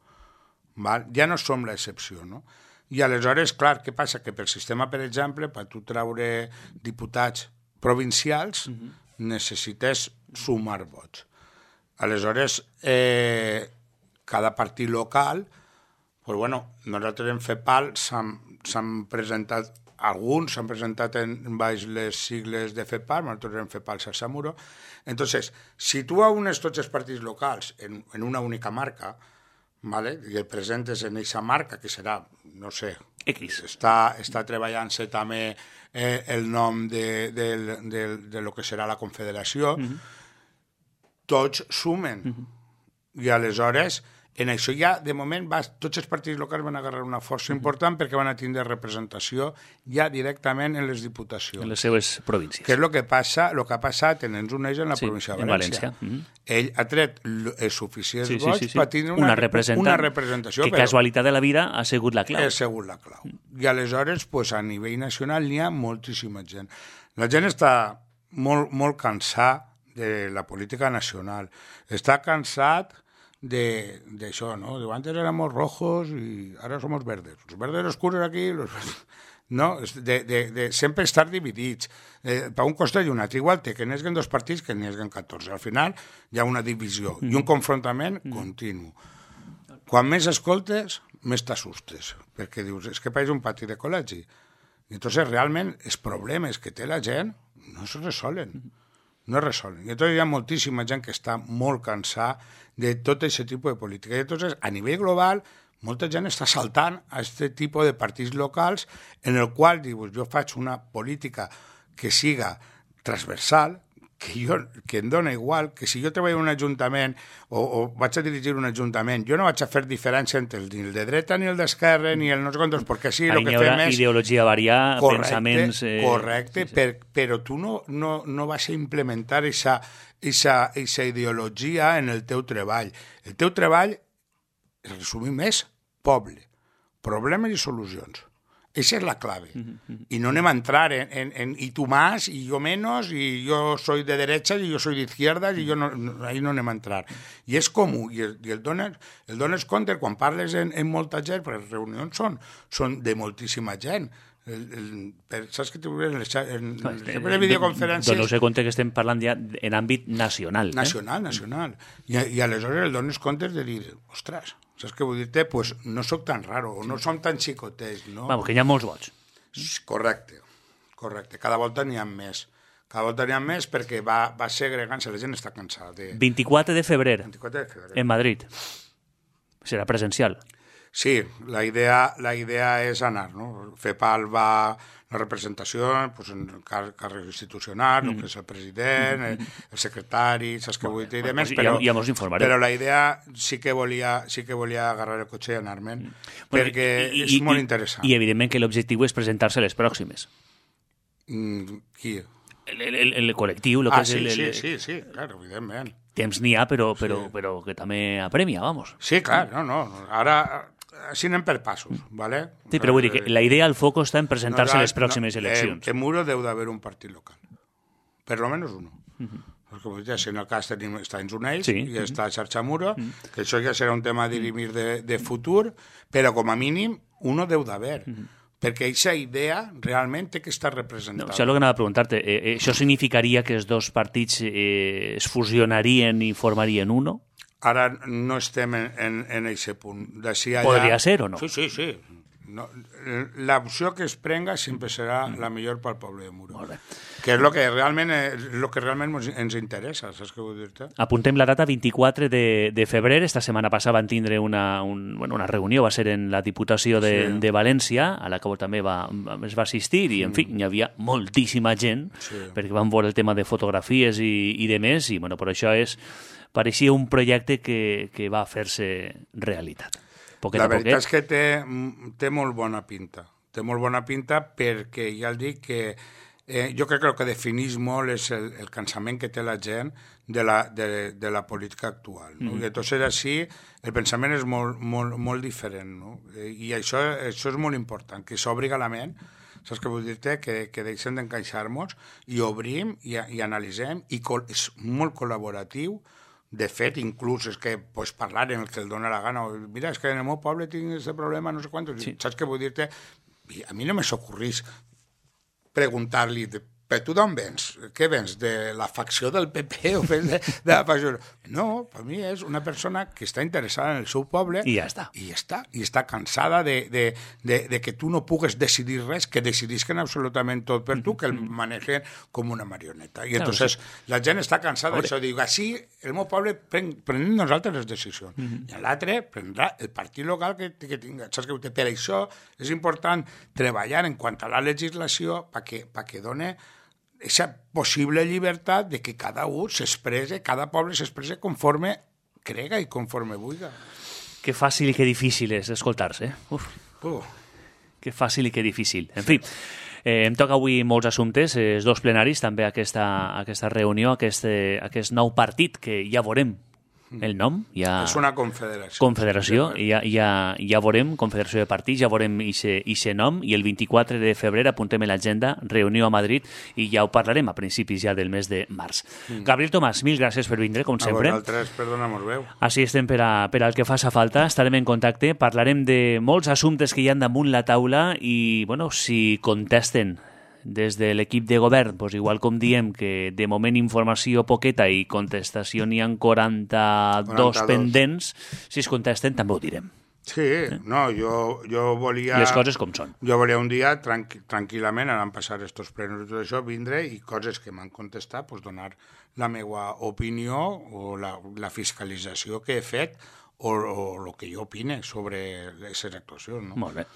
ja no som l'excepció, no? I aleshores, clar, què passa? Que pel sistema, per exemple, per tu treure diputats provincials, necessites sumar vots. Aleshores, cada partit local, pues bueno, nosaltres en FEPAL s'han presentat, alguns s'han presentat en baix les sigles de FEPAL, nosaltres en FEPAL Sasamuro. Entonces, si tu unes tots els partits locals en una única marca, ¿vale? I el presentes en aquesta marca, que serà, no sé, X. Està treballant-se també el nom de lo que serà la Confederació, tots sumen. I aleshores, en això ja, de moment, tots els partits locals van agarrar una força important perquè van a tindre representació ja directament en les diputacions. En les seves províncies. Que és el que ha passat en ens uneix en la província de València. Ell ha tret els suficients vots per tindre una representació. Que casualitat de la vida ha sigut la clau. Ha sigut la clau. I aleshores, a nivell nacional, n'hi ha moltíssima gent. La gent està molt cansada de la política nacional. Està cansat d'això, ¿no? Digo, antes éramos rojos y ahora somos verdes. Los verdes oscuros aquí, no? De sempre estar dividits. Per un costat i un altre. Igual que n'esguen dos partits que n'esguen 14. Al final hi ha una divisió i un confrontament continu. Quan més escoltes, més t'assustes. Perquè dius, és que pareix un pati de col·legi. I entonces realment els problemes que té la gent no es resolen. No es resolen. I entonces hi ha moltíssima gent que està molt cansada de tot aquest tipus de política. I entonces, a nivell global, molta gent està saltant a aquest tipus de partits locals en el qual dius, jo faig una política que siga transversal, que em dona igual, que si jo treballo en un ajuntament o vaig a dirigir un ajuntament, jo no vaig a fer diferència entre ni el de dreta, ni el d'esquerra, ni el no sé quantos, perquè sí, el que fem és... ideologia variar, pensaments... Correcte, però tu no vas a implementar aquesta ideologia en el teu treball. El teu treball, resumim, és poble, problemes i solucions. Esa es la clave. Y no anem a entrar en y tú más, y yo menos, y yo soy de derechas, y yo soy de izquierdas, y yo no, ahí no anem a entrar. I és comú, i el dones compte quan parles en molta gent, perquè les reunions són de moltíssima gent. Saps que sempre videoconferències... Doneu-se compte que estem parlant ja en àmbit nacional. Nacional. I aleshores el dones compte de dir, ostres, saps què vull dir-te? Pues no sóc tan raro, o no som tan xicotets, no? Vamos, que hi ha molts vots. Correcte. Correcte, cada volta n'hi ha més. Cada volta n'hi ha més perquè va segregant-se, la gent està cansada. 24 de febrer, 24 de febrer. en Madrid. Serà presencial. Sí, la idea és anar, no? FEPAL va la representació, pues, en càrrec institucional, el que és el president, el secretari, saps què vull dir, i demés, però, ja mos informarem. Però la idea sí que volia agarrar el cotxe i anar-me'n, perquè és molt interessant. I evidentment que l'objectiu és presentar-se a les pròximes. Qui? El col·lectiu, el que és sí, clar, evidentment. Temps n'hi ha, però que també apremia, vamos. Sí, clar, no. Ara, així anem per passos, ¿vale? Sí, però vull dir que la idea, el foco està en presentar-se a les pròximes eleccions. En Muro deu d'haver un partit local. Per lo menos uno. Perquè vull dir, si en el cas tenim està en Unells i està Xarxa Muro, que això ja serà un tema a dirimir de futur, però com a mínim uno deu d'haver. Perquè aquesta idea realment té que estar representada. Això és el que anava a preguntar-te. Això significaria que els dos partits es fusionarien i formarien uno? Ara no estem en aquest punt. Podria ser o no? Sí. No, l'opció que es prenga sempre serà la millor pel poble de Muro. Que és el que realment ens interessa, saps què vull dir-te? Apuntem la data 24 de febrer. Esta setmana passada van tindre una reunió, va ser en la Diputació de València, a la que també es va assistir, i en fi, hi havia moltíssima gent, perquè van veure el tema de fotografies i de més, i per això pareixia un projecte que va fer-se realitat. La veritat és que té molt bona pinta. Té molt bona pinta perquè, ja el dic, que jo crec que el que defineix molt és el cansament que té la gent de la política actual. No? I entonces així el pensament és molt diferent. No? I això és molt important, que s'obriga la ment, saps què vull dir-te? Que deixem d'encaixar-nos i obrim i analitzem, i és molt col·laboratiu. De fet, inclús és que parlar en el que el dóna la gana. Mira, és que en el meu poble tinc aquest problema, no sé quant. Saps què vull dir-te? A mi no me s'ocorrís preguntar-li, però tu d'on vens? Què vens? De la facció del PP o vens de la facció? No, per mi és una persona que està interessada en el seu poble i ja està. I està cansada de que tu no pugues decidir res, que decidisquen absolutament tot per tu, que el manegen com una marioneta. I entonces la gent està cansada d'això. Diu, així el meu poble prenem nosaltres les decisions. I l'altre prendrà el partit local que tinga. Saps què? Per això és important treballar en quant a la legislació perquè doni aquesta possible llibertat de que cada poble s'expresse conforme crega i conforme vulga. Que fàcil i que difícil és escoltar-se. Que fàcil i que difícil. En fi, em toca avui molts assumptes, els dos plenaris, també aquesta reunió, aquest nou partit que ja veurem el nom. És una confederació. Confederació, ja veurem, confederació de partits, ja veurem ixe nom, i el 24 de febrer apuntem a l'agenda, reunió a Madrid, i ja ho parlarem a principis ja del mes de març. Gabriel Tomàs, mil gràcies per vindre, com sempre. A vosaltres, perdona-mos veu. Així estem per al que faça falta, estarem en contacte, parlarem de molts assumptes que hi ha damunt la taula i, si contesten des de l'equip de govern, igual com diem que de moment informació poqueta i contestació n'hi ha 42 pendents, si es contesten també ho direm. Sí, no, jo volia... Les coses com són. Jo volia un dia, tranquil·lament, anant a passar estos plenos i tot això, vindre i coses que m'han contestat, donar la meva opinió o la fiscalització que he fet o el que jo opine sobre aquestes actuacions. No? Molt bé.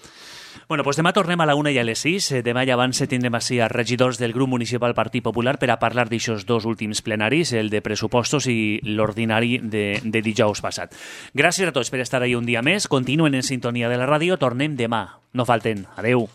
Demà tornem a la 1 i a les 6. Demà ja abans tindrem així a regidors del grup municipal Partit Popular per a parlar d'aixòs dos últims plenaris, el de pressupostos i l'ordinari de dijous passat. Gràcies a tots per estar ahí un dia més. Continuen en sintonia de la ràdio. Tornem demà. No falten. Adeu.